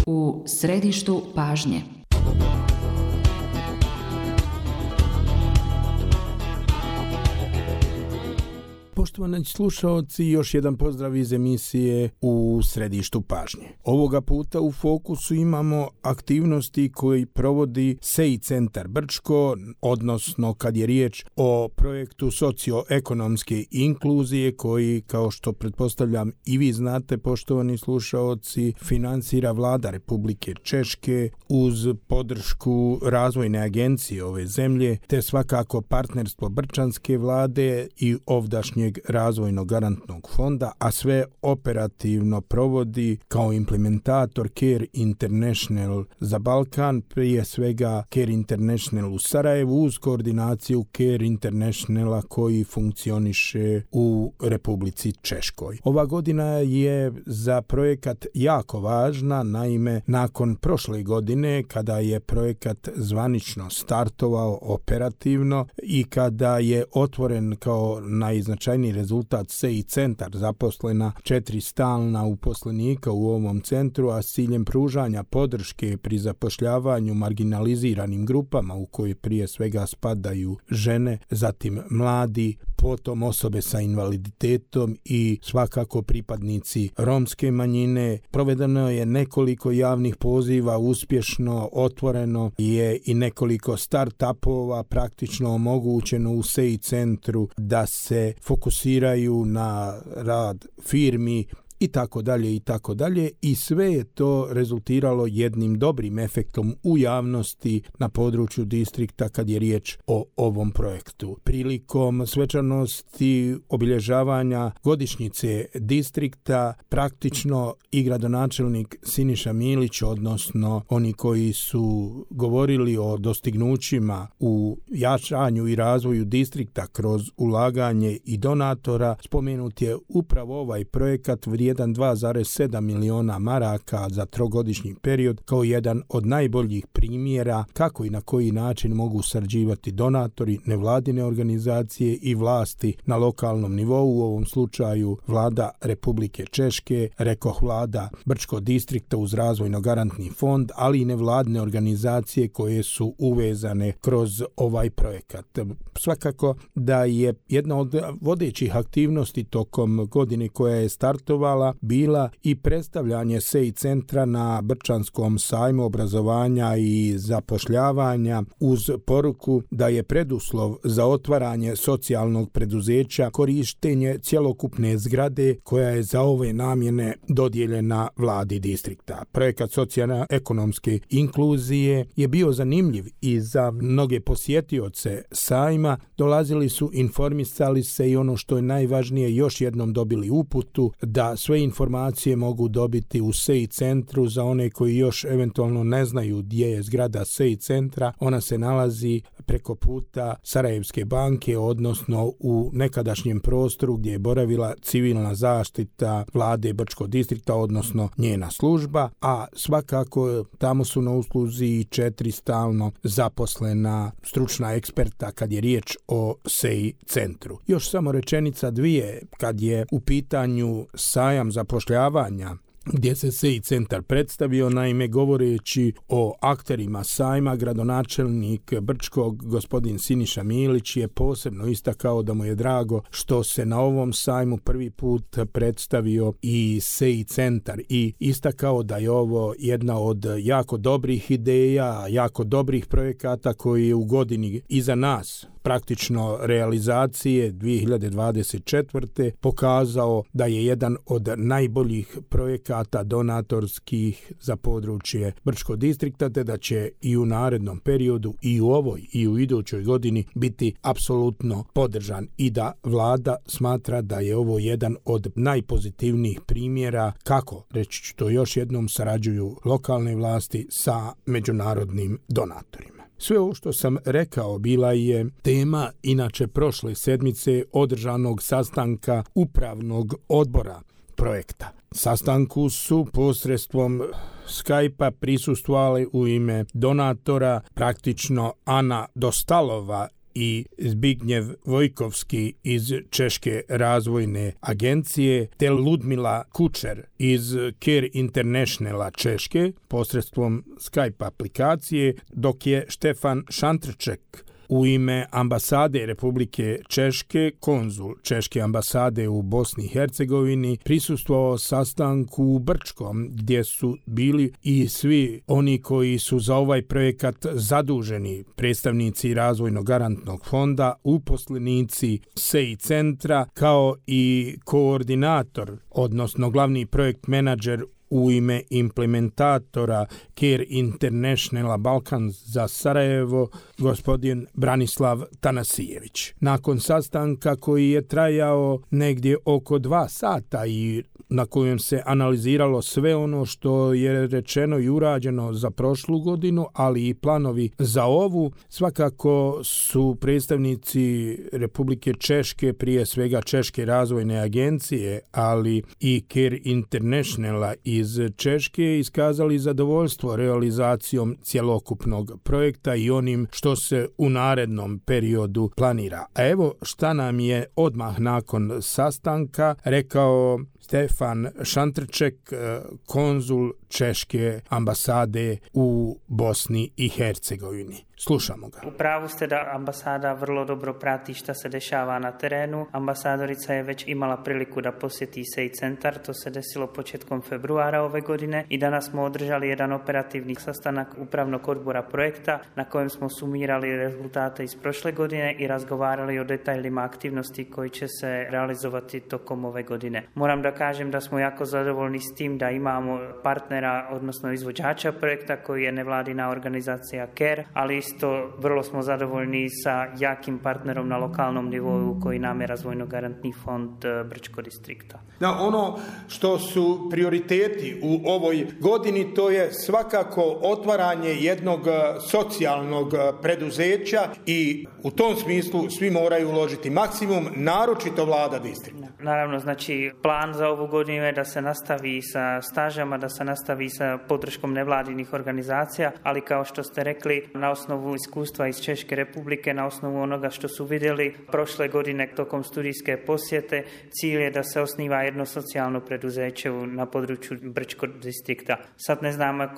U središtu pažnje. Poštovani slušaoci, još jedan pozdrav iz emisije U središtu pažnje. Ovoga puta u fokusu imamo aktivnosti koji provodi SEI centar Brčko, odnosno kad je riječ o projektu socioekonomske inkluzije koji, kao što pretpostavljam i vi znate, poštovani slušaoci, financira Vlada Republike Češke uz podršku razvojne agencije ove zemlje, te svakako partnerstvo Brčanske vlade i ovdašnjeg razvojnog garantnog fonda, a sve operativno provodi kao implementator Care International za Balkan, prije svega Care International u Sarajevu uz koordinaciju Care Internationala koji funkcioniše u Republici Češkoj. Ova godina je za projekat jako važna, naime nakon prošle godine kada je projekat zvanično startovao operativno i kada je otvoren kao najznačajniji rezultat SEI centar, zaposlena 4 stalna uposlenika u ovom centru, a s ciljem pružanja podrške pri zapošljavanju marginaliziranim grupama u koje prije svega spadaju žene, zatim mladi, potom osobe sa invaliditetom i svakako pripadnici romske manjine. Provedeno je nekoliko javnih poziva, uspješno otvoreno je i nekoliko start-upova, praktično omogućeno u SEI centru da se fokusiraju na rad firmi i tako dalje i sve je to rezultiralo jednim dobrim efektom u javnosti na području distrikta kad je riječ o ovom projektu. Prilikom svečanosti obilježavanja godišnjice distrikta praktično i gradonačelnik Siniša Milić, odnosno oni koji su govorili o dostignućima u jačanju i razvoju distrikta kroz ulaganje i donatora, spomenut je upravo ovaj projekat vrijedan 2,7 miliona maraka za trogodišnji period kao jedan od najboljih primjera kako i na koji način mogu sarađivati donatori, nevladine organizacije i vlasti na lokalnom nivou, u ovom slučaju Vlada Republike Češke, rekoh Vlada Brčkog distrikta uz razvojno garantni fond, ali i nevladine organizacije koje su uvezane kroz ovaj projekat. Svakako da je jedna od vodećih aktivnosti tokom godine koja je startovala bila i predstavljanje SEI centra na Brčanskom sajmu obrazovanja i zapošljavanja uz poruku da je preduslov za otvaranje socijalnog preduzeća korištenje cjelokupne zgrade koja je za ove namjene dodijeljena Vladi distrikta. Projekat socijalno-ekonomske inkluzije je bio zanimljiv i za mnoge posjetioce sajma. Dolazili su, informisali se i ono što je najvažnije, još jednom dobili uputu da sve informacije mogu dobiti u SEI centru. Za one koji još eventualno ne znaju gdje je zgrada SEI centra, ona se nalazi preko puta Sarajevske banke, odnosno u nekadašnjem prostoru gdje je boravila civilna zaštita Vlade Brčkog distrikta, odnosno njena služba, a svakako tamo su na usluzi 4 stalno zaposlena stručna eksperta kad je riječ o SEI centru. Još samo rečenica dvije kad je u pitanju sajam zapošljavanja gdje se SEI centar predstavio. Naime, govoreći o akterima sajma, gradonačelnik Brčkog gospodin Siniša Milić je posebno istakao da mu je drago što se na ovom sajmu prvi put predstavio i SEI centar i istakao da je ovo jedna od jako dobrih ideja, jako dobrih projekata koji je u godini iza nas, praktično realizacije 2024. pokazao da je jedan od najboljih projekata donatorskih za područje Brčkog distrikta, te da će i u narednom periodu i u ovoj i u idućoj godini biti apsolutno podržan i da Vlada smatra da je ovo jedan od najpozitivnijih primjera kako, reći ću to još jednom, sarađuju lokalne vlasti sa međunarodnim donatorima. Sve ovo što sam rekao bila je tema inače prošle sedmice održanog sastanka upravnog odbora projekta. Sastanku su posredstvom Skype-a prisustvovali u ime donatora praktično Ana Dostalova i Zbignjev Vojkovski iz Češke razvojne agencije, te Ludmila Kučer iz Care Internationala Češke posredstvom Skype aplikacije, dok je Štefan Šantrček u ime ambasade Republike Češke, konzul Češke ambasade u Bosni i Hercegovini, prisustvovao sastanku u Brčkom, gdje su bili i svi oni koji su za ovaj projekat zaduženi, predstavnici Razvojnog garantnog fonda, uposlenici SEI centra, kao i koordinator, odnosno glavni projekt menadžer u ime implementatora Care Internationala Balkan za Sarajevo, gospodin Branislav Tanasijević. Nakon sastanka koji je trajao negdje oko 2 sata i na kojem se analiziralo sve ono što je rečeno i urađeno za prošlu godinu, ali i planovi za ovu, svakako su predstavnici Republike Češke, prije svega Češke razvojne agencije, ali i Care Internationala iz Češke, iskazali zadovoljstvo realizacijom cjelokupnog projekta i onim što se u narednom periodu planira. A evo šta nam je odmah nakon sastanka rekao Štefan Šantrček, konzul Češke ambasade u Bosni i Hercegovini. Slušamo ga. U pravu ste da ambasada vrlo dobro prati šta se dešava na terenu. Ambasadorica je već imala priliku da posjeti SEI centar, to se desilo početkom februara ove godine i danas smo održali jedan operativni sastanak upravnog odbora projekta na kojem smo sumirali rezultate iz prošle godine i razgovarali o detaljima aktivnosti koji će se realizovati tokom ove godine. Moram da kažem da smo jako zadovoljni s tim da imamo partnera, odnosno izvođača projekta koji je nevladina organizacija CARE, ali isto vrlo smo zadovoljni sa jakim partnerom na lokalnom nivou koji nam je Razvojno garantni fond Brčko distrikta. Da, ono što su prioriteti u ovoj godini, to je svakako otvaranje jednog socijalnog preduzeća i u tom smislu svi moraju uložiti maksimum, naročito vlada distrikta. Naravno, znači plan za ovu godinu je da se nastavi sa stažama, da se nastavi sa podrškom nevladinih organizacija, ali kao što ste rekli, na osnovu iskustva iz Češke republike, na osnovu onoga što su vidjeli prošle godine tokom studijske posjete, cilj je da se osniva jedno socijalno preduzeće na području Brčko distrikta. Sad ne znamo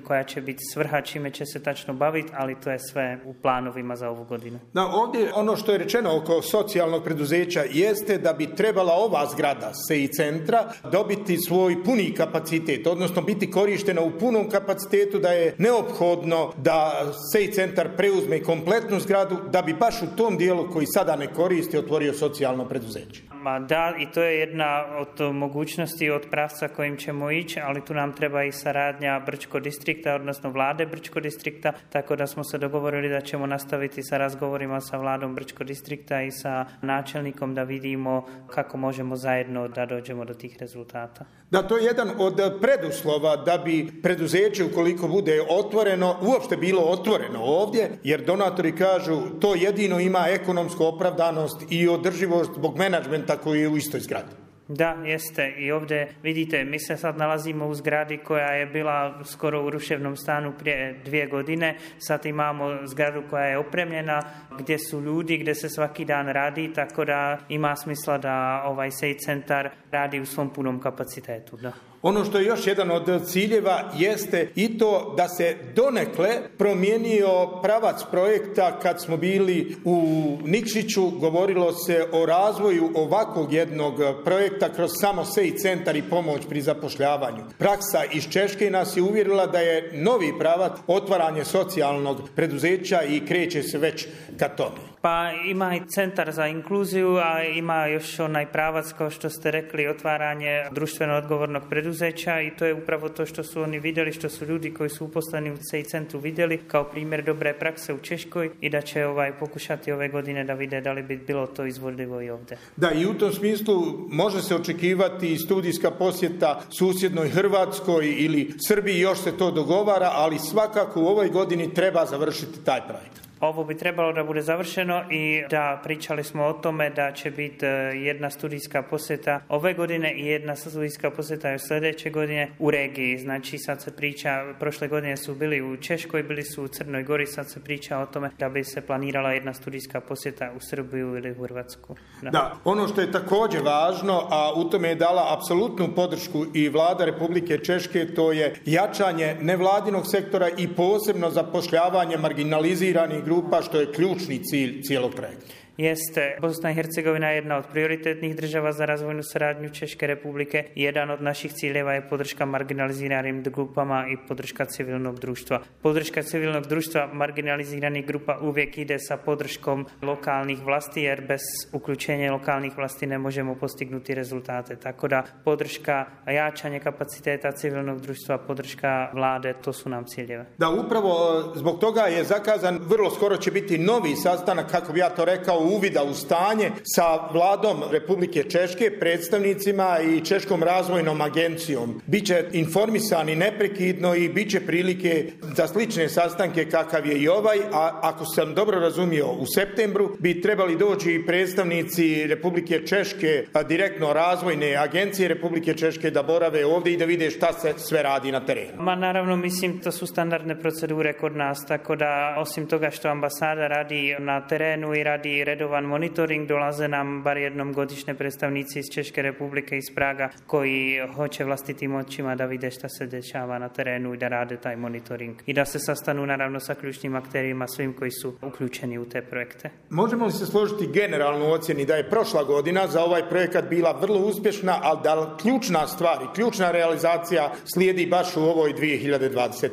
koja će biti svrha, čime će se tačno baviti, ali to je sve u planovima za ovu godinu. Da, ovdje ono što je rečeno oko socijalnog preduzeća jeste da bi trebala ova zgrada SEI centra dobiti svoj puni kapacitet, odnosno biti korištena u punom kapacitetu, da je neophodno da SEI centar preuzme kompletnu zgradu da bi baš u tom dijelu koji sada ne koristi otvorio socijalno preduzeće. Da, i to je jedna od mogućnosti, od pravca kojim ćemo ići, ali tu nam treba i saradnja Brčko distrikta, odnosno vlade Brčko distrikta, tako da smo se dogovorili da ćemo nastaviti sa razgovorima sa vladom Brčko distrikta i sa načelnikom da vidimo kako možemo zajedno da dođemo do tih rezultata. Da, to je jedan od preduslova da bi preduzeće, ukoliko bude otvoreno, uopšte bilo otvoreno ovdje, jer donatori kažu to jedino ima ekonomsku opravdanost i održivost zbog menadžmenta koji je u istoj zgradi. Da, jeste. I ovdje vidite, mi se sad nalazimo u zgradi koja je bila skoro u ruševnom stanu prije 2 godine. Sad imamo zgradu koja je opremljena, gdje su ljudi, gdje se svaki dan radi, tako da ima smisla da ovaj SEI centar radi u svom punom kapacitetu. Da. Ono što je još jedan od ciljeva jeste i to da se donekle promijenio pravac projekta. Kad smo bili u Nikšiću, govorilo se o razvoju ovakvog jednog projekta kroz samo SEI centar i pomoć pri zapošljavanju. Praksa iz Češke nas je uvjerila da je novi pravac otvaranje socijalnog preduzeća i kreće se već ka tome. Pa ima i centar za inkluziju, a ima još onaj pravac, kao što ste rekli, otvaranje društveno odgovornog preduzeća i to je upravo to što su oni vidjeli, što su ljudi koji su uposleni u SEI centru vidjeli kao primjer dobre prakse u Češkoj i da će pokušati ove godine da vide da li bi bilo to izvodljivo i ovdje. Da, i u tom smislu može se očekivati studijska posjeta susjednoj Hrvatskoj ili Srbiji, još se to dogovara, ali svakako u ovoj godini treba završiti taj projekt. Ovo bi trebalo da bude završeno i da pričali smo o tome da će biti jedna studijska posjeta ove godine i jedna studijska posjeta još sljedeće godine u regiji. Znači sad se priča, prošle godine su bili u Češkoj, bili su u Crnoj Gori, sad se priča o tome da bi se planirala jedna studijska posjeta u Srbiju ili u Hrvatsku. Da, ono što je također važno, a u tome je dala apsolutnu podršku i vlada Republike Češke, to je jačanje nevladinog sektora i posebno zapošljavanje marginaliziranih grupa, što je ključni cilj cijelog projekta. Jeste, Bosna i Hercegovina je jedna od prioritetnih država za razvojnu suradnju Češke Republike. Jedan od naših ciljeva je podrška marginaliziranim grupama i podrška civilnog društva. Podrška civilnog društva marginaliziranih grupa uvijek ide sa podrškom lokalnih vlasti, jer bez uključenja lokalnih vlasti ne možemo postignuti rezultate. Tako da podrška, jačanje kapaciteta civilnog društva, podrška vlade, to su nam ciljeve. Da, upravo zbog toga je zakazan, vrlo skoro će biti novi sastanak, kako bi ja to rekao, uvida u stanje sa vladom Republike Češke, predstavnicima i Češkom razvojnom agencijom. Biće informisani neprekidno i bit će prilike za slične sastanke kakav je i ovaj, a ako sam dobro razumio, u septembru bi trebali doći i predstavnici Republike Češke, direktno razvojne agencije Republike Češke, da borave ovdje i da vide šta se sve radi na terenu. Naravno, mislim, to su standardne procedure kod nas, tako da osim toga što ambasada radi na terenu i radi redovan monitoring, dolaze nam bar jednom godišnje predstavnici iz Češke Republike, iz Praga, koji hoće vlastitim očima da vide šta se dešava na terenu i da rade taj monitoring. I da se sastanu naravno sa ključnim akterima, svim koji su uključeni u te projekte. Možemo li se složiti generalnu ocjeni da je prošla godina za ovaj projekat bila vrlo uspješna, ali da ključna stvar i ključna realizacija slijedi baš u ovoj 2025.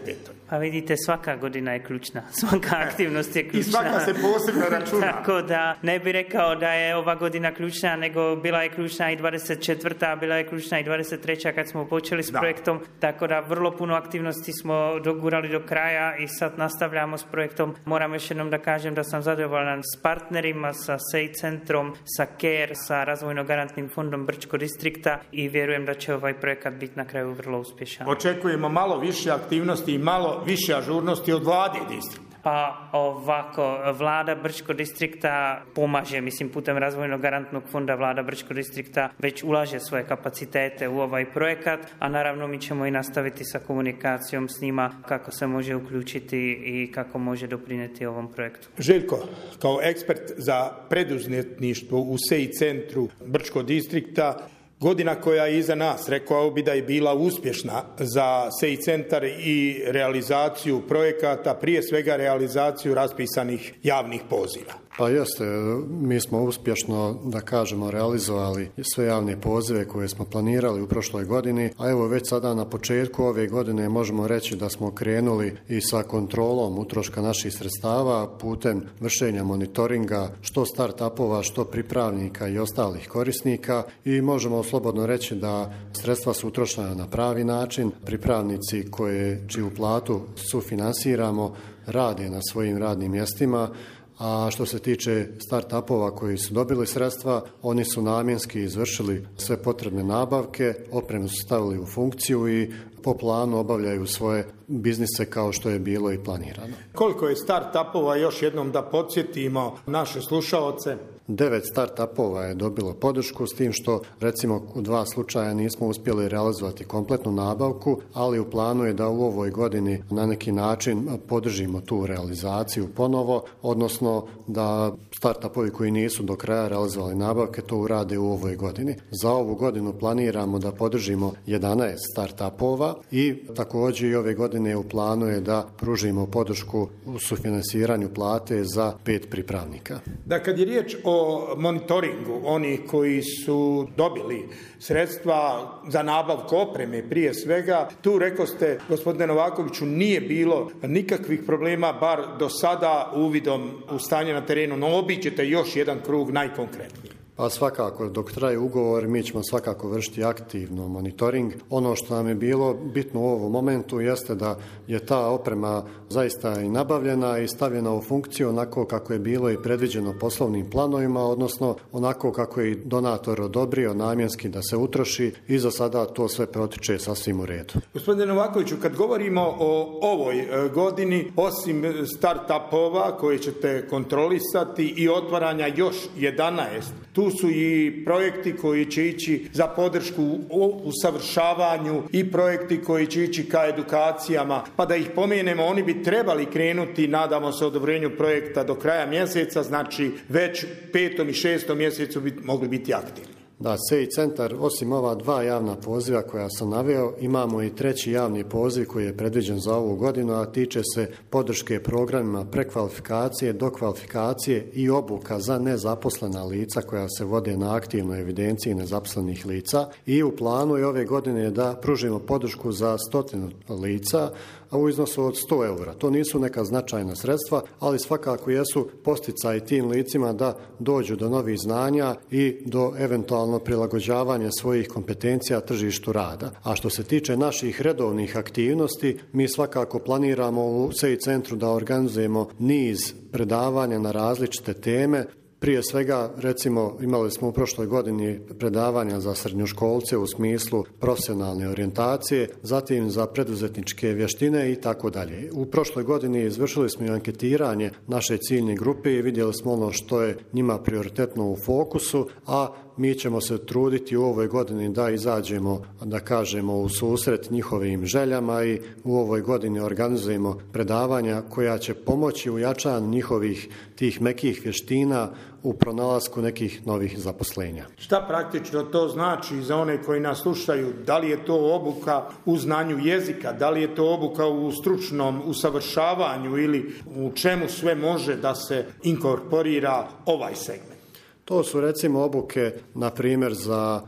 Pa vidite, svaka godina je ključna, svaka aktivnost je ključna. I svaka se posebno računa. Tako da ne bi rekao da je ova godina ključna, nego bila je ključna i 24. bila je ključna i 23. kad smo počeli s projektom, tako da vrlo puno aktivnosti smo dogurali do kraja i sad nastavljamo s projektom. Moram još jednom da kažem da sam zadovoljan s partnerima, sa SEI centrom, sa CARE, sa Razvojno-garantnim fondom Brčko distrikta i vjerujem da će ovaj projekat biti na kraju vrlo uspješan. Očekujemo malo više aktivnosti i malo više ažurnosti od vlade distrikta. Pa ovako, vlada Brčko distrikta pomaže, mislim, putem Razvojno-garantnog fonda vlada Brčko distrikta već ulaže svoje kapacitete u ovaj projekat, a naravno mi ćemo i nastaviti sa komunikacijom s njima kako se može uključiti i kako može doprinijeti ovom projektu. Željko, kao ekspert za preduzetništvo u SEI centru Brčko distrikta, godina koja je iza nas, rekao bi da je bila uspješna za SEI centar i realizaciju projekata, prije svega realizaciju raspisanih javnih poziva. Pa jeste, mi smo uspješno, da kažemo, realizovali sve javne pozive koje smo planirali u prošloj godini, a evo već sada na početku ove godine možemo reći da smo krenuli i sa kontrolom utroška naših sredstava putem vršenja monitoringa što start-upova, što pripravnika i ostalih korisnika i možemo slobodno reći da sredstva su utrošena na pravi način, pripravnici čiju platu sufinansiramo rade na svojim radnim mjestima, a što se tiče start-upova koji su dobili sredstva, oni su namjenski izvršili sve potrebne nabavke, opremu su stavili u funkciju i po planu obavljaju svoje biznise kao što je bilo i planirano. Koliko je start-upova, još jednom da podsjetimo naše slušaoce? 9 start-upova je dobilo podršku, s tim što recimo u 2 slučaja nismo uspjeli realizovati kompletnu nabavku, ali u planu je da u ovoj godini na neki način podržimo tu realizaciju ponovo, odnosno da start-upovi koji nisu do kraja realizovali nabavke to urade u ovoj godini. Za ovu godinu planiramo da podržimo 11 start-upova i također i ove godine u planu je da pružimo podršku u sufinansiranju plate za 5 pripravnika. Da, kad je riječ o monitoringu, oni koji su dobili sredstva za nabavku opreme prije svega, tu rekao ste, gospodine Novakoviću, nije bilo nikakvih problema, bar do sada uvidom u stanje na terenu, no obiđete još jedan krug najkonkretniji. Pa svakako, dok traje ugovor, mi ćemo svakako vršiti aktivno monitoring. Ono što nam je bilo bitno u ovom momentu jeste da je ta oprema zaista i nabavljena i stavljena u funkciju onako kako je bilo i predviđeno poslovnim planovima, odnosno onako kako je donator odobrio namjenski da se utroši i za sada to sve protiče sasvim u redu. Gospodine Novakoviću, kad govorimo o ovoj godini, osim start-upova koje ćete kontrolisati i otvaranja još 11, tu su i projekti koji će ići za podršku u usavršavanju i projekti koji će ići ka edukacijama, pa da ih pomenemo, oni bi trebali krenuti, nadamo se, odobrenju projekta do kraja mjeseca, znači već 5. i 6. mjesecu bi mogli biti aktivni. Da, SEI centar, osim ova 2 javna poziva koja sam naveo, imamo i 3. javni poziv koji je predviđen za ovu godinu, a tiče se podrške programima prekvalifikacije, dokvalifikacije i obuka za nezaposlena lica koja se vode na aktivnoj evidenciji nezaposlenih lica. I u planu je ove godine da pružimo podršku za 100 lica, a u iznosu od 100 eura. To nisu neka značajna sredstva, ali svakako jesu posticaji tim licima da dođu do novih znanja i do eventualno prilagođavanja svojih kompetencija tržištu rada. A što se tiče naših redovnih aktivnosti, mi svakako planiramo u SEI centru da organizujemo niz predavanja na različite teme. Prije svega, recimo, imali smo u prošloj godini predavanja za srednjoškolce u smislu profesionalne orijentacije, zatim za preduzetničke vještine i tako dalje. U prošloj godini izvršili smo i anketiranje naše ciljne grupe i vidjeli smo ono što je njima prioritetno u fokusu, a mi ćemo se truditi u ovoj godini da izađemo, da kažemo, u susret njihovim željama i u ovoj godini organizujemo predavanja koja će pomoći u jačanju njihovih tih mekih vještina u pronalasku nekih novih zaposlenja. Šta praktično to znači za one koji nas slušaju? Da li je to obuka u znanju jezika, da li je to obuka u stručnom usavršavanju ili u čemu sve može da se inkorporira ovaj segment? To su recimo obuke, na primjer, za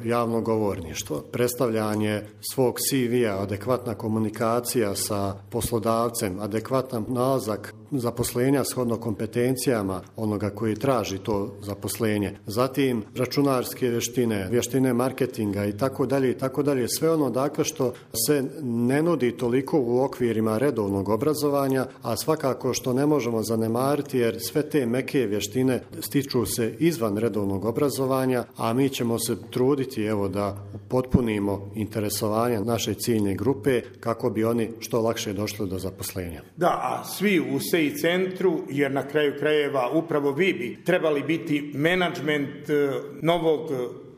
javno govorništvo, predstavljanje svog CV-a, adekvatna komunikacija sa poslodavcem, adekvatan nalazak zaposlenja shodno kompetencijama onoga koji traži to zaposlenje. Zatim računarske vještine, vještine marketinga i tako dalje, sve ono dakle što se ne nudi toliko u okvirima redovnog obrazovanja, a svakako što ne možemo zanemariti jer sve te meke vještine stiču se izvan redovnog obrazovanja, a mi ćemo se truditi da potpunimo interesovanje naše ciljne grupe kako bi oni što lakše došli do zaposlenja. Da, a svi u SEI centru, jer na kraju krajeva upravo vi bi trebali biti menadžment novog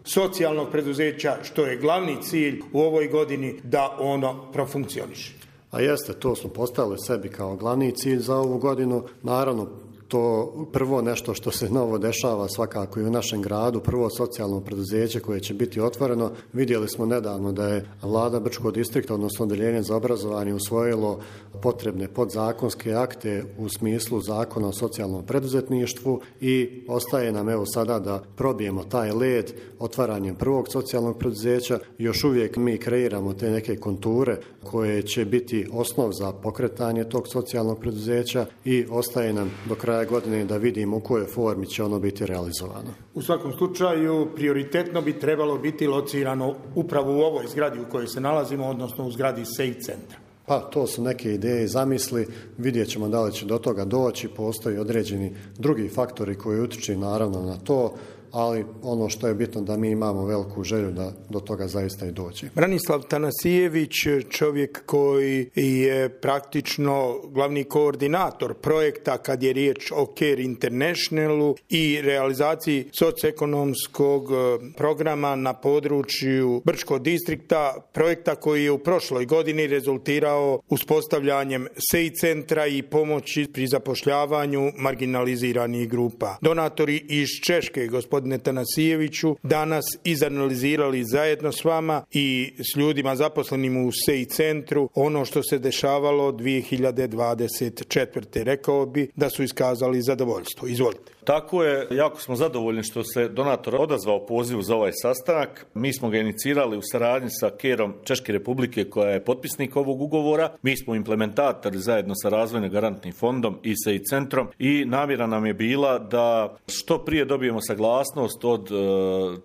socijalnog preduzeća, što je glavni cilj u ovoj godini da ono profunkcioniše. A jeste, to smo postavili sebi kao glavni cilj za ovu godinu. Naravno, to prvo nešto što se novo dešava svakako i u našem gradu, prvo socijalno preduzeće koje će biti otvoreno. Vidjeli smo nedavno da je vlada Brčkog distrikta, odnosno odeljenje za obrazovanje, usvojilo potrebne podzakonske akte u smislu zakona o socijalnom preduzetništvu i ostaje nam sada da probijemo taj led otvaranjem prvog socijalnog preduzeća. Još uvijek mi kreiramo te neke konture koje će biti osnov za pokretanje tog socijalnog preduzeća i ostaje nam do kraja godine da vidimo u kojoj formi će ono biti realizovano. U svakom slučaju prioritetno bi trebalo biti locirano upravo u ovoj zgradi u kojoj se nalazimo, odnosno u zgradi SEI centra. Pa to su neke ideje i zamisli, vidjet ćemo da li će do toga doći, postoji određeni drugi faktori koji utiču naravno na to, ali ono što je bitno da mi imamo veliku želju da do toga zaista i dođe. Branislav Tanasijević, čovjek koji je praktično glavni koordinator projekta kad je riječ o Care Internationalu i realizaciji socioekonomskog programa na području Brčkog distrikta, projekta koji je u prošloj godini rezultirao uspostavljanjem SEI centra i pomoći pri zapošljavanju marginaliziranih grupa. Donatori iz Češke, gospodine Tanasijeviću, danas izanalizirali zajedno s vama i s ljudima zaposlenim u SEI centru ono što se dešavalo 2024. Rekao bi da su iskazali zadovoljstvo. Izvolite. Tako je, jako smo zadovoljni što se donator odazvao pozivu za ovaj sastanak. Mi smo ga inicirali u saradnji sa KER-om Češke Republike koja je potpisnik ovog ugovora. Mi smo implementatori zajedno sa Razvojno garantnim fondom i SEI centrom i namjera nam je bila da što prije dobijemo saglasnost od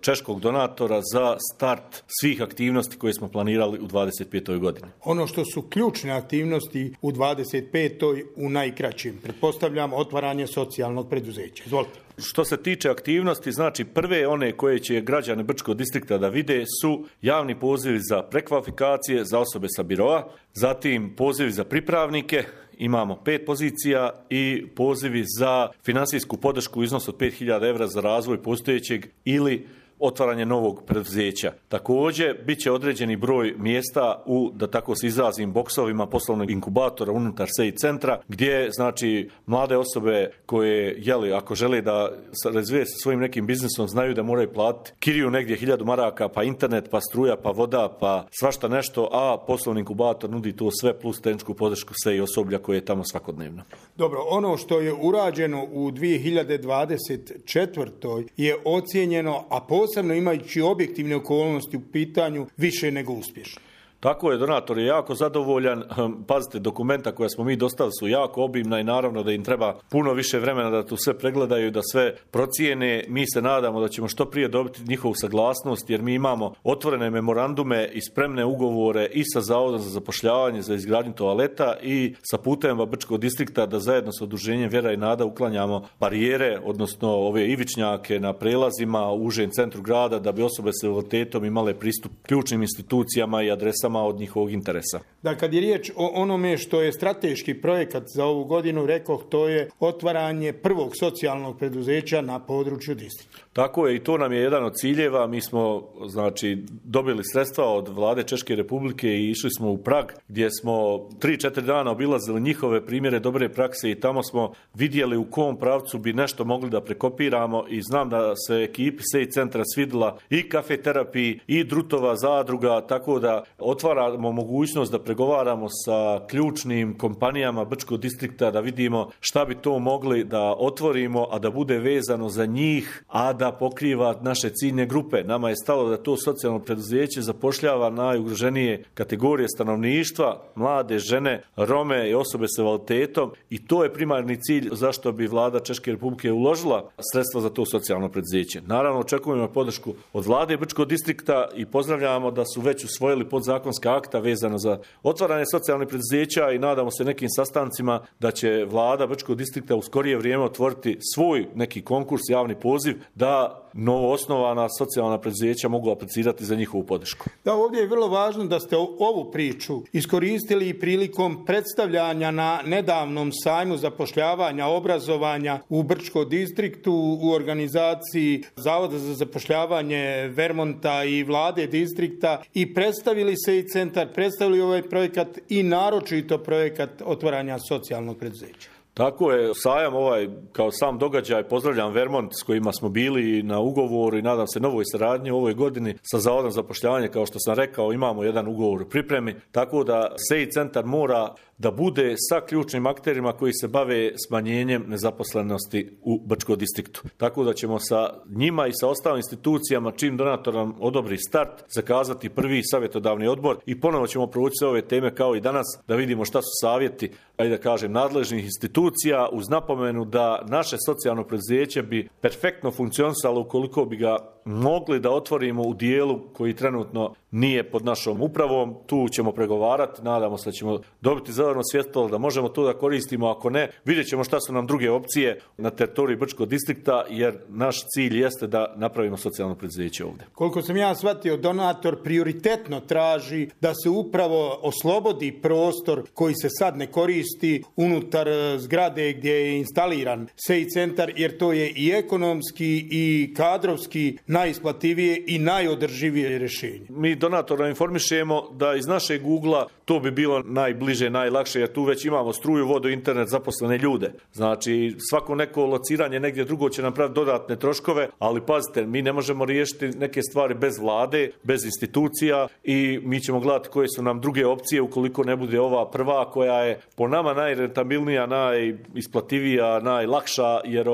češkog donatora za start svih aktivnosti koje smo planirali u 25. godini. Ono što su ključne aktivnosti u 25. u najkraćim, pretpostavljam otvaranje socijalnog preduzeća. Izvolite. Što se tiče aktivnosti, znači prve one koje će građani Brčkog distrikta da vide su javni pozivi za prekvalifikacije za osobe sa biroa, zatim pozivi za pripravnike, imamo 5 pozicija i pozivi za finansijsku podršku u iznosu od 5.000 evra za razvoj postojećeg ili otvaranje novog preduzeća. Također, bit će određeni broj mjesta u, da tako se izrazim, boksovima poslovnog inkubatora unutar SEI centra, gdje, znači, mlade osobe koje, ako žele da razvije sa svojim nekim biznisom, znaju da moraju platiti kiriju negdje 1000 maraka, pa internet, pa struja, pa voda, pa svašta nešto, a poslovni inkubator nudi to sve plus tehničku podršku SEI osoblja koje je tamo svakodnevno. Dobro, ono što je urađeno u 2024. je ocijenjeno, a posebno imajući objektivne okolnosti u pitanju, više nego uspješno. Tako je, donator je jako zadovoljan. Pazite, dokumenta koja smo mi dostavili su jako obimna i naravno da im treba puno više vremena da to sve pregledaju, da sve procijene. Mi se nadamo da ćemo što prije dobiti njihovu saglasnost jer mi imamo otvorene memorandume i spremne ugovore i sa Zavodom za zapošljavanje za izgradnju toaleta i sa putevima Brčkog distrikta da zajedno sa udruženjem Vjera i nada uklanjamo barijere, odnosno ove ivičnjake na prelazima u užem centru grada da bi osobe s invaliditetom imale pristup ključnim institucijama i adresama od njihovog interesa. Da, kad je riječ o onome što je strateški projekat za ovu godinu, rekoh, to je otvaranje prvog socijalnog preduzeća na području distrikta. Tako je, i to nam je jedan od ciljeva. Mi smo, znači, dobili sredstva od Vlade Češke Republike i išli smo u Prag, gdje smo 3-4 dana obilazili njihove primjere dobre prakse i tamo smo vidjeli u kom pravcu bi nešto mogli da prekopiramo i znam da se ekipi SEI centra svidila i kafeterapiji i Drutova zadruga, tako da otvaramo mogućnost da pregovaramo sa ključnim kompanijama Brčkog distrikta, da vidimo šta bi to mogli da otvorimo, a da bude vezano za njih, a da pokriva naše ciljne grupe. Nama je stalo da to socijalno preduzeće zapošljava najugroženije kategorije stanovništva, mlade žene, Rome i osobe s invaliditetom i to je primarni cilj zašto bi Vlada Češke Republike uložila sredstva za to socijalno preduzeće. Naravno, očekujemo podršku od Vlade Brčkog distrikta i pozdravljamo da su već usvojili podzakonska akta vezano za otvaranje socijalnih preduzeća i nadamo se nekim sastancima da će Vlada Brčkog distrikta u skorije vrijeme otvoriti svoj neki konkurs, javni poziv, da novo osnovana socijalna preduzeća mogu aplicirati za njihovu podršku. Da, ovdje je vrlo važno da ste ovu priču iskoristili prilikom predstavljanja na nedavnom sajmu zapošljavanja, obrazovanja u Brčkom distriktu u organizaciji Zavoda za zapošljavanje Vermonta i Vlade distrikta i predstavili se i centar, predstavili ovaj projekat i naročito projekat otvaranja socijalnog preduzeća. Tako je, sajam ovaj kao sam događaj, pozdravljam Vermont s kojima smo bili na ugovoru i nadam se novoj saradnji u ovoj godini sa Zavodom za zapošljavanje, kao što sam rekao, imamo jedan ugovor u pripremi, tako da SEI centar mora da bude sa ključnim akterima koji se bave smanjenjem nezaposlenosti u Brčkom distriktu. Tako da ćemo sa njima i sa ostalim institucijama, čim donator nam odobri start, zakazati prvi savjetodavni odbor i ponovo ćemo provući sve ove teme kao i danas, da vidimo šta su savjeti, da kažem, nadležnih institucija, uz napomenu da naše socijalno preduzeće bi perfektno funkcionisalo ukoliko bi ga mogli da otvorimo u dijelu koji trenutno nije pod našom upravom. Tu ćemo pregovarati, nadamo se da ćemo dobiti zeleno svjetlo, da možemo to da koristimo, ako ne, vidjet ćemo šta su nam druge opcije na teritoriji Brčkog distrikta, jer naš cilj jeste da napravimo socijalno preduzeće ovdje. Koliko sam ja shvatio, donator prioritetno traži da se upravo oslobodi prostor koji se sad ne koristi unutar zgrade gdje je instaliran SEI centar, jer to je i ekonomski i kadrovski najisplativije i najodrživije rješenje. Mi donatora informišemo da iz našeg Google-a to bi bilo najbliže, najlakše, jer tu već imamo struju, vodu, internet, zaposlene ljude. Znači, svako neko lociranje negdje drugo će napraviti dodatne troškove, ali pazite, mi ne možemo riješiti neke stvari bez vlade, bez institucija i mi ćemo gledati koje su nam druge opcije ukoliko ne bude ova prva koja je po nama najrentabilnija, najisplativija, najlakša, jer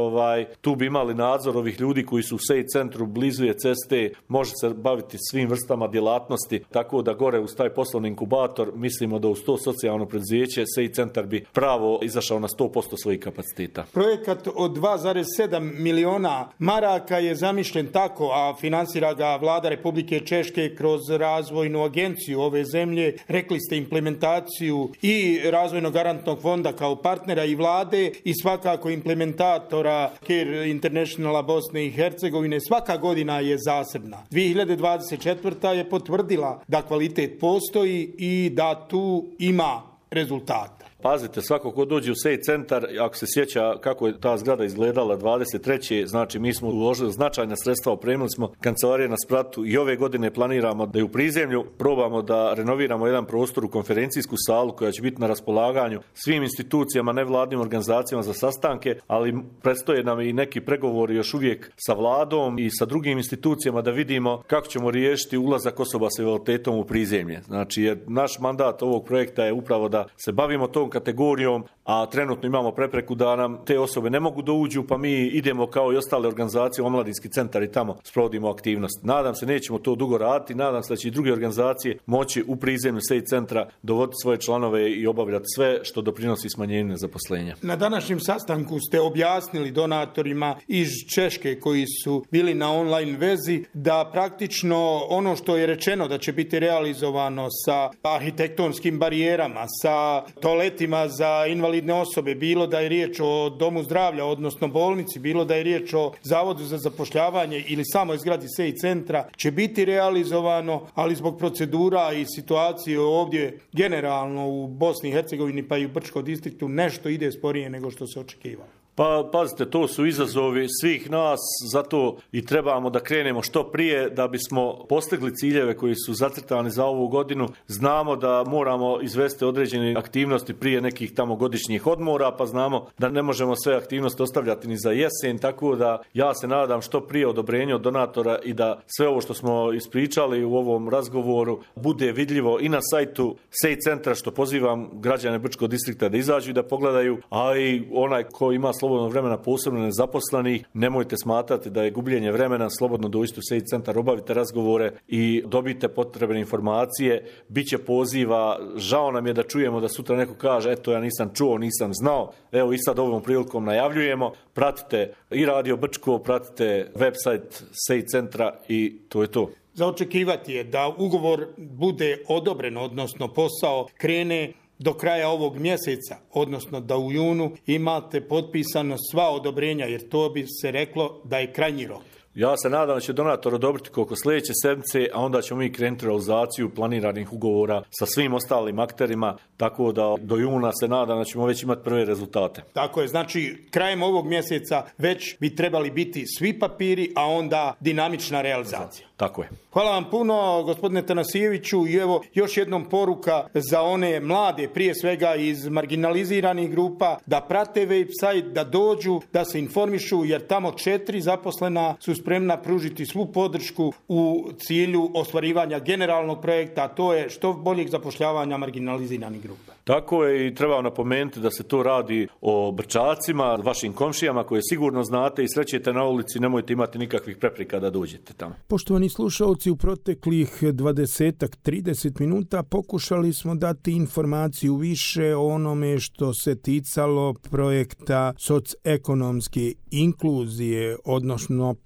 tu bi imali nadzor ovih ljudi koji su u SEI centru, blizu je ceste, može se baviti svim vrstama djelatnosti, tako da gore uz taj poslovni inkubator mislimo da uz to socijalno preduzeće SEI centar bi pravo izašao na 100% svojih kapaciteta. Projekat od 2,7 miliona maraka je zamišljen tako, a finansira ga vlada Republike Češke kroz razvojnu agenciju ove zemlje. Rekli ste implementaciju i razvojnog garantnog fonda kao partnera i vlade i svakako implementatora Care Internationala Bosne i Hercegovine. Svaka godina je zasebna. 2024. je potvrdila da kvalitet postoji i da tu ima rezultata. Pazite, svako ko dođe u SEI centar, ako se sjeća kako je ta zgrada izgledala 23. znači mi smo uložili značajna sredstva, opremili smo kancelarije na spratu i ove godine planiramo da je u prizemlju probamo da renoviramo jedan prostor u konferencijsku salu koja će biti na raspolaganju svim institucijama, nevladnim organizacijama za sastanke, ali predstoje nam i neki pregovori još uvijek sa vladom i sa drugim institucijama da vidimo kako ćemo riješiti ulazak osoba s invaliditetom u prizemlje. Znači, jer naš mandat ovog projekta je upravo da se bavimo tom kategorijom, a trenutno imamo prepreku da nam te osobe ne mogu da uđu, pa mi idemo kao i ostale organizacije, omladinski centar i tamo sprovodimo aktivnost. Nadam se nećemo to dugo raditi, nadam se da će i druge organizacije moći u prizemlju SEI centra dovoditi svoje članove i obavljati sve što doprinosi smanjenju nezaposlenja. Na današnjem sastanku ste objasnili donatorima iz Češke koji su bili na online vezi da praktično ono što je rečeno da će biti realizovano sa arhitektonskim barijerama, sa toaletima za invalidne osobe, bilo da je riječ o domu zdravlja, odnosno bolnici, bilo da je riječ o zavodu za zapošljavanje ili samoj zgradi SEI centra, će biti realizovano, ali zbog procedura i situacije ovdje generalno u Bosni i Hercegovini pa i u Brčkom distriktu nešto ide sporije nego što se očekivalo. Pa pazite, to su izazovi svih nas, zato i trebamo da krenemo što prije da bismo postigli ciljeve koji su zacrtani za ovu godinu. Znamo da moramo izvesti određene aktivnosti prije nekih tamo godišnjih odmora, pa znamo da ne možemo sve aktivnosti ostavljati ni za jesen, tako da ja se nadam što prije odobrenje od donatora i da sve ovo što smo ispričali u ovom razgovoru bude vidljivo i na sajtu SEI centra, što pozivam građane Brčkog distrikta da izađu i da pogledaju, a i onaj ko ima slobodno vremena, posebno nezaposlenih, nemojte smatrati da je gubljenje vremena, slobodno dođite u SEI centar, obavite razgovore i dobite potrebne informacije. Biće poziva, žao nam je da čujemo da sutra neko kaže eto ja nisam čuo, nisam znao. Evo i sad ovom prilikom najavljujemo, pratite i Radio Brčko, pratite website SEI centra i to je to. Za očekivati je da ugovor bude odobren, odnosno posao krene do kraja ovog mjeseca, odnosno da u junu imate potpisano sva odobrenja, jer to bi se reklo da je krajnji rok. Ja se nadam da će donator odobriti koliko sljedeće sedmice, a onda ćemo mi krenuti realizaciju planiranih ugovora sa svim ostalim akterima, tako da do juna se nadam da ćemo već imati prve rezultate. Tako je, znači krajem ovog mjeseca već bi trebali biti svi papiri, a onda dinamična realizacija. Tako je. Hvala vam puno, gospodine Tanasijeviću, i evo još jednom poruka za one mlade, prije svega iz marginaliziranih grupa, da prate website, da dođu, da se informišu, jer tamo 4 zaposlena su spremna pružiti svu podršku u cilju ostvarivanja generalnog projekta, a to je što boljeg zapošljavanja marginaliziranih grupa. Tako je i treba napomenuti da se to radi o Brčacima, vašim komšijama koje sigurno znate i srećete na ulici, nemojte imati nikakvih prepreka da dođete tamo. Poštovani slušalci, u proteklih 20-30 minuta pokušali smo dati informaciju više o onome što se ticalo projekta socioekonomske inkluzije,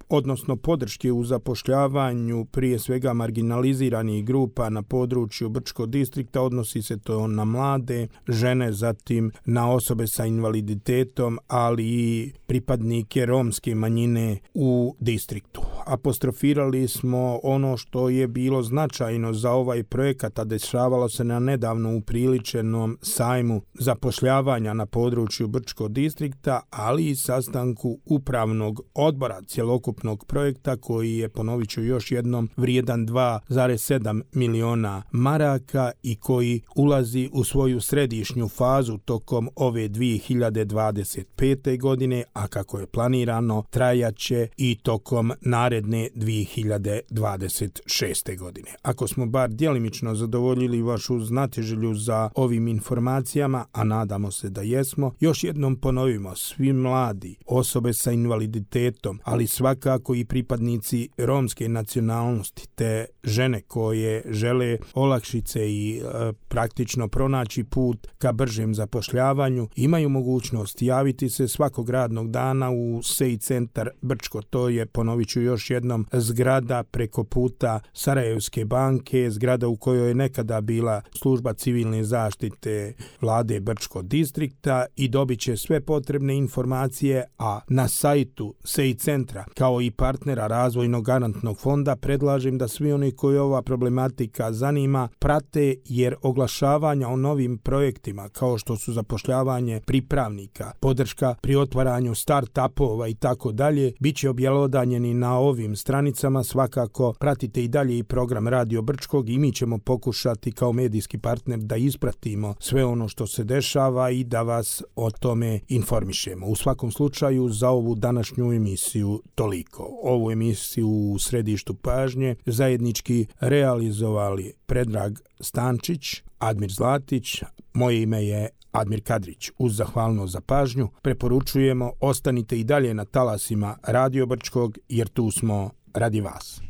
odnosno podrške u zapošljavanju prije svega marginaliziranih grupa na području Brčkog distrikta. Odnosi se to na mlade, žene, zatim na osobe sa invaliditetom, ali i pripadnike romske manjine u distriktu. apostrofirali smo ono što je bilo značajno za ovaj projekat, a dešavalo se na nedavno upriličenom sajmu zapošljavanja na području Brčkog distrikta, ali i sastanku upravnog odbora cjelokupnog projekta koji je, ponovit ću još jednom, vrijedan 2,7 miliona maraka i koji ulazi u svoju središnju fazu tokom ove 2025. godine, a kako je planirano trajaće i tokom naredne 2026. godine. Ako smo bar djelimično zadovoljili vašu znatiželju za ovim informacijama, a nadamo se da jesmo, još jednom ponovimo: svi mladi, osobe sa invaliditetom, ali svakako i pripadnici romske nacionalnosti te žene koje žele olakšice i praktično pronaći put ka bržem zapošljavanju, imaju mogućnost javiti se svakog radnog dana u SEI centar Brčko. To je, ponovit ću još jednom, zgrada preko puta Sarajevske banke, zgrada u kojoj je nekada bila služba civilne zaštite vlade Brčkog distrikta, i dobit će sve potrebne informacije, a na sajtu SEI centra kao i partnera Razvojnog garantnog fonda predlažem da svi oni koji ova problematika zanima prate, jer oglašavanja o novim projektima kao što su zapošljavanje pripravnika, podrška pri otvaranju start-upova i tako dalje bit će objelodanjeni na ovim stranicama. Svakako pratite i dalje i program Radio Brčkog i mi ćemo pokušati kao medijski partner da ispratimo sve ono što se dešava i da vas o tome informišemo. U svakom slučaju za ovu današnju emisiju toliko. Ovu emisiju u središtu pažnje zajednički realizovali Predrag Stančić, Admir Zlatić, moje ime je Admir Kadrić. Uz zahvalnost za pažnju preporučujemo ostanite i dalje na talasima Radio Brčkog, jer tu smo radi vas.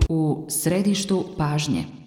U središtu pažnje.